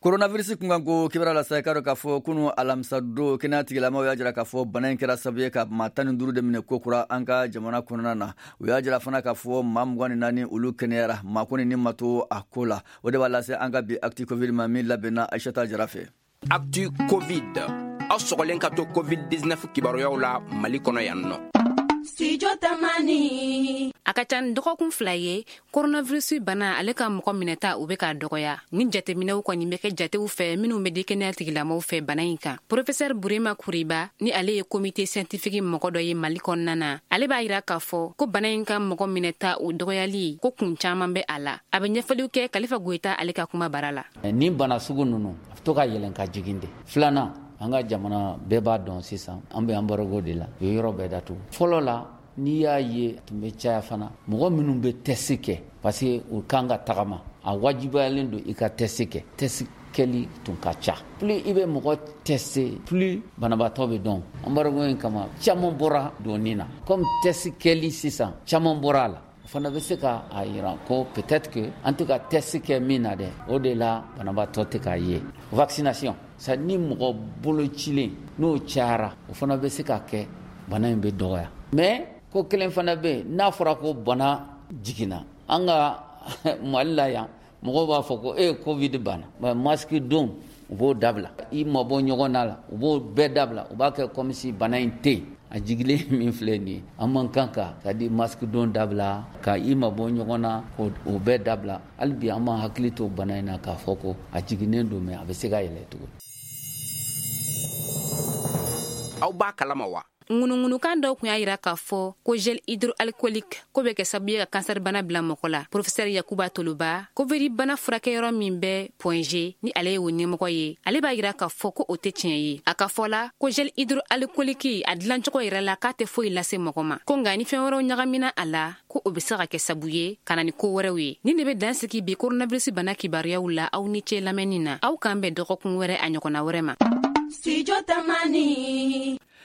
Coronavirus kunkanko kibaruya la sa, i k'a dɔn k'a fɔ kunu alamisa don, kɛnɛya tigilamaw y'a jira k'a fɔ bana in kɛra sababu ye ka maa 15 de minɛ kokura an ka jamana kɔnɔna na. U y'a jira fana k'a fɔ maa 24, olu kɛnɛyara, maa kɔni ni ma to a ko la. O de b'a lase an ka bi Actu Covid ma, min labɛnna Aïssata Jara fɛ. Actu Covid, aw sɔgɔlen ka to COVID-19 kibaruyaw la Mali kɔnɔ yan nɔ. Studio Tamani. A ka ca ni dɔgɔkun 2 ye, coronavirus bana ale ka mɔgɔ minɛta u bɛ k'a dɔgɔya. Ni jateminɛw kɔni bɛ kɛ jatew fɛ minnu bɛ di kɛnɛya tigilamɔgɔw fɛ bana in kan. Professeur Burema Kuriba, ni ale ye comité scientifique mɔgɔ dɔ ye Mali kɔnɔna na, ale b'a yira k'a fɔ ko bana in ka mɔgɔ minɛta o dɔgɔyali ko kun caman bɛ a la. A bɛ ɲɛfɔliw kɛ Kalifa Goyita ale ka kuma bara la. Ni bana sugu ninnu a bɛ to ka yɛlɛn ka jigin de. Filanan, an ka jamana bɛɛ b'a dɔn sisan an bɛ embargo de la, u ye yɔrɔ bɛɛ datugu. Fɔlɔ la, n'i y'a ye tun bɛ caya fana, mɔgɔ minnu bɛ test kɛ, parce que u kan ka tagama, a wajibayalen don i ka test kɛ. Test kɛli tun ka ca. Plus i bɛ mɔgɔ tester, plus banabaatɔ bɛ dɔn. Embargo in kama, caman bɔra donni na. Comme test kɛli sisan, caman bɔra a la. O fana bɛ se ka a yira ko peut-être que an tɛ ka test kɛ min na dɛ, o de la banabaatɔ tɛ k'a ye. Vaccination, sa ni mɔgɔ bolocilen n'o cayara, o fana bɛ se ka kɛ bana in bɛ dɔgɔya. Mais ko kelen fana bɛ yen, n'a fɔra ko bana jiginna an ka Mali la yan, mɔgɔw b'a fɔ ko e Covid banna, mais masque don u b'o dabila, i mabɔ ɲɔgɔn na la, u b'o bɛɛ dabila, u b'a kɛ comme si bana in tɛ yen. A jigilen min filɛ nin ye, an man kan ka c'est à dire masque don dabila, ka i mabɔ ɲɔgɔn na, k'o bɛɛ dabila. Hali bi an b'an hakili to bana in na k'a fɔ ko a jiginnen don, mais a bɛ se ka yɛlɛ tugun. Aw b'a kalama wa? Ŋunuŋunukan dɔw tun y'a yira k'a fɔ ko gel hydroalcoolique ko bɛ kɛ sababu ye ka kansɛri bana bila mɔgɔ la. Professeur Yakuba Toloba, Covid bana furakɛyɔrɔ min bɛ Point G, ni ale ye o ɲɛmɔgɔ ye, ale b'a yira k'a fɔ ko o tɛ tiɲɛ ye. A ka fɔ la ko gel hydroalcoolique a dilancogo yɛrɛ la, k'a tɛ foyi lase mɔgɔ ma, ko nka ni fɛn wɛrɛw ɲagamina a la, ko o bɛ se ka kɛ sabu ye ka na ni ko wɛrɛw ye. Nin de bɛ dan sigi bi coronavirus bana kibaruyaw la. Aw ni ce lamɛnni na, aw k'an bɛn dɔgɔkun wɛrɛ a ɲɔgɔnna wɛrɛ ma. Studio Tamani.